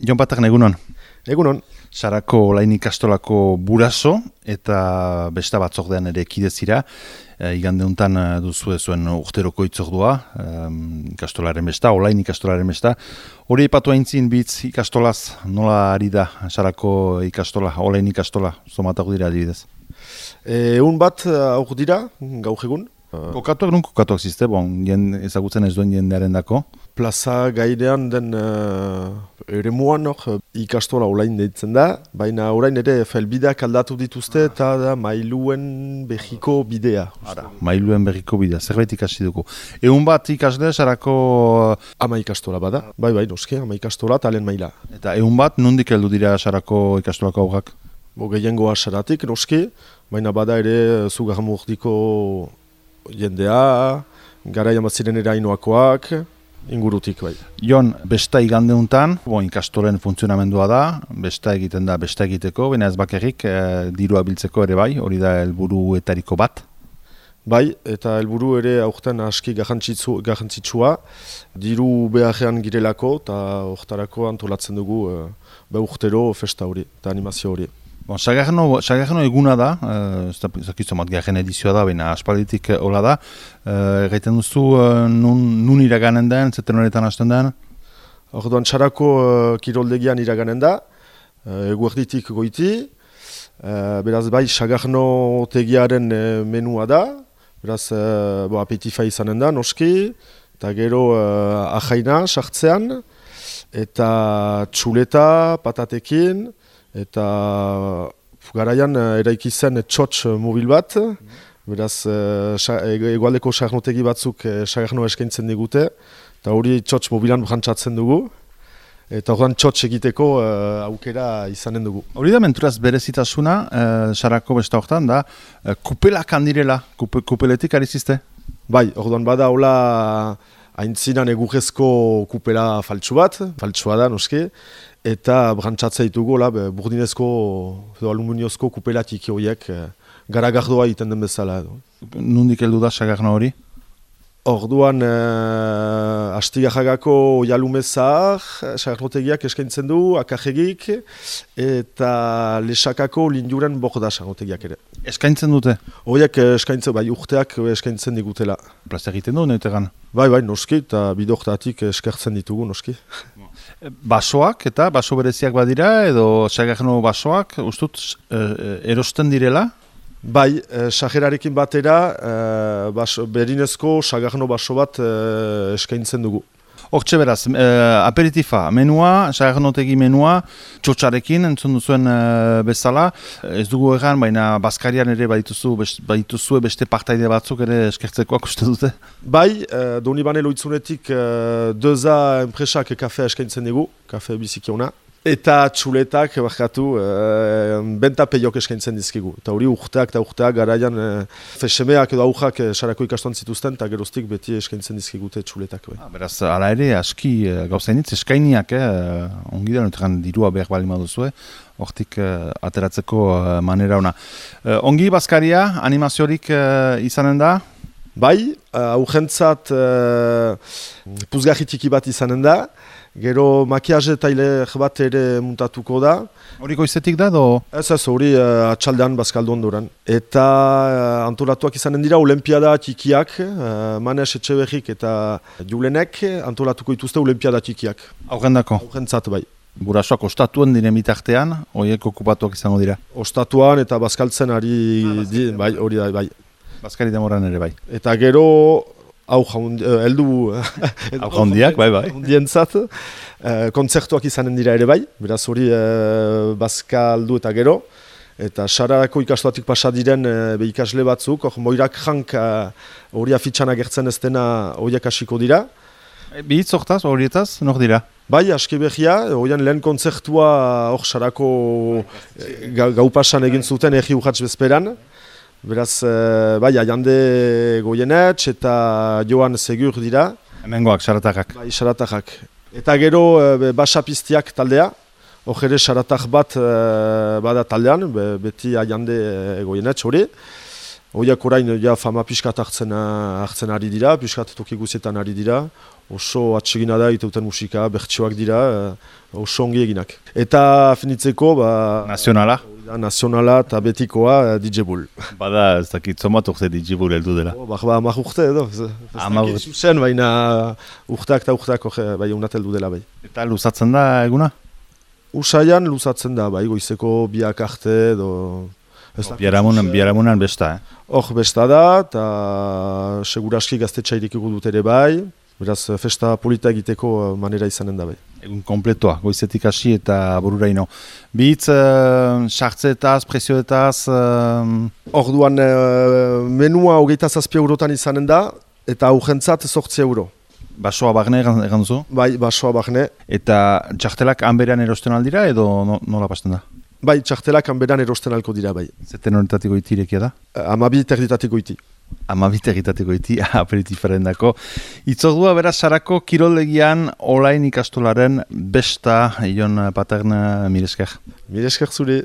Jon Paterna, egunon. Egunon. Sarako Olain ikastolako buraso eta besta batzordean ere kidezira. Igande honetan duzu zuen urteroko itzordua, ikastolaren besta, Olain ikastolaren besta. Hori ipatu aintzin bitz ikastolaz, nola ari da Sarako ikastola, Olain ikastola, zomatak dira adibidez? Egun bat aur dira, gaur egun. Kokatuak zizte, ezagutzen ez duen jendearen dako? Plaza gainean den eremuan ikastola Olain deitzen da, baina orain ere felbideak aldatu dituzte eta da mailuen berriko bidea. Mailuen berriko bidea, zerbait ikasi dugu. Egun bat ikasle Sarako... Ama ikastola bada, bai, noski, ama ikastola eta lehen maila. Eta egun bat, nondik heldu dira Sarako ikastolako aurrak? Gehiengoa Saratik, noski, baina bada ere Zugarramurdiko jendea, garaian bat ziren erainoakoak, ingurutik bai. Jon, besta igande honetan, ikastolen funtzionamendua da, besta egiten da besta egiteko, baina ez bakarrik dirua biltzeko ere bai, hori da helburuetariko bat. Bai, eta helburu ere aurten aski garrantzitsua, diru beharrean girelako eta hortarako antolatzen dugu urtero festa hori eta animazio hori. Sagarno eguna da, zakizomat garen edizioa da, baina aspalditik hola da. Gaiten duzu, nun iraganen den, zeten horretan hasten den? Orduan Sarako kiroldegian iraganen da, eguerditik goiti, beraz bai Sagarno tegiaren menua da, beraz apetifa izanen da, noski, eta gero ahaina sartzean, eta txuleta, patatekin, eta garaian eraiki zen txotx mobil bat, beraz egualdeko sagarnotegi batzuk sagarnoa eskaintzen digute, eta hori txotx mobilan brantzatzen dugu, eta horren txotx egiteko aukera izanen dugu. Hori da menturaz berezitasuna, Sarako besta horretan da, kupelak handirela, kupeletik ari zizte? Bai, orduan bada hola aintzinan egurrezko kupela faltsua da, noski, eta brantzatzea ditugu, burdinezko edo aluminiozko kupela tiki horiek garagardoa egiten den bezala. Nondik heldu da Sagarno hori? Orduan Astigarragako jalumezar, sagarnotegiak eskaintzen du, akarregik, eta Lesakako linduren borda sagarnotegiak ere. Eskaintzen dute? Horiek eskaintzen, bai urteak eskaintzen digutela. Plaza egiten du, neutegan? Bai, noski, eta bidortatik eskertzen ditugu, noski. Basoak eta baso bereziak badira, edo Sagarno basoak, ustut, erosten direla? Bai, sajerarekin batera, berinezko Sagarno baso bat eskaintzen dugu. Hortxe beraz, aperitifa, menua, Sagarnotegi menua, txotxarekin, entzun duzuen bezala. Ez dugu egan, baina Baskarian ere badituzue beste partaide batzuk ere eskertzekoak uste dute? Bai, Donibane loitzunetik Deza enpresak kafea eskaintzen dugu, kafe bizikiona. Eta txuletak, benta peiok eskaintzen dizkigu. Eta hori urteak garaian fesemeak edo aurrak Sarako ikastoan zituzten, eta geroztik beti eskaintzen dizkigute txuletak. Beraz, ala ere, aski gauzainitz, eskainiak, ongi da, notekan dirua behar bali maduzue, hortik ateratzeko manera ona. Ongi Baskaria, animaziorik izanen da? Bai, aurrentzat puzgarri txiki bat izanen da, gero makiaje tailer bat ere muntatuko da. Hori goizetik da, do? Ez, hori atxaldean Bazkaldu ondoran. Eta antolatuak izanen dira olimpiada txikiak, Manes Etxeberrik eta Julenek antolatuko dituzte olimpiada txikiak. Aurrendako? Aurrentzat, bai. Burasoak ostatuan diren bitartean, horiek okupatuak izango dira? Ostatuan eta bazkaltzen ari, bai, hori da, bai. Baskari demoran ere, bai. Eta gero, heldu handiak, bai. Handientzat, kontzertuak izanen dira ere bai, beraz hori Bazkaldu eta gero. Eta Sarako ikastoatik pasa diren ikasle batzuk, Moirak jank hori afitxan agertzen ez dena horiek hasiko dira. Bihitz horietaz, nor dira? Bai, aski behia, horian lehen kontzertua Sarako gau pasan egin zuten egi urratz bezperan. Beraz, bai, Aiande Goienetx eta Joan Segur dira. Hemengoak, Saratakak. Bai, Saratakak. Eta gero Basapistiak taldea, hor ere Saratak bat bada taldean, beti Aiande Goienetx hori. Hoiak orain ja fama pixkat hartzen ari dira, pixkat toki guzietan ari dira. Oso atsegina da iteuten musika, bertsioak dira, oso ongi eginak. Eta finitzeko, Nazionala? Nazionala eta betikoa DJ Bull. Bada, ez dakit zomat urte DJ Bull heldu dela. Hamar urte edo. Hamar urte. Zuzen, baina urteak eta urteak bai unat heldu dela bai. Eta luzatzen da eguna? Usaian luzatzen da, bai, goizeko biak arte edo... Biharamunan besta, Hor besta da, eta seguraski gaztetxairik dut ere bai. Beraz, festa polita egiteko manera izanen da bai. Egun kompletoa, goizetik hasi eta bururaino. Bitz, sartzeetaz, prezioetaz... Orduan, menua 27 eurotan izanen da, eta aurrentzat 8 euro. Basoa barne egan duzu? Bai, basoa barne. Eta txartelak hanberan erosten aldira edo nola pasten da? Bai, txartelak hanberan erosten alko dira bai. Zeten horitatiko iti irekia da? 12 erditatiko iti. 12 egitateko iti, aperitifaren dako. Itzordua beraz sarako kiroldegian olain ikastolaren besta, Ion Patern, mire esker. Mire esker zure.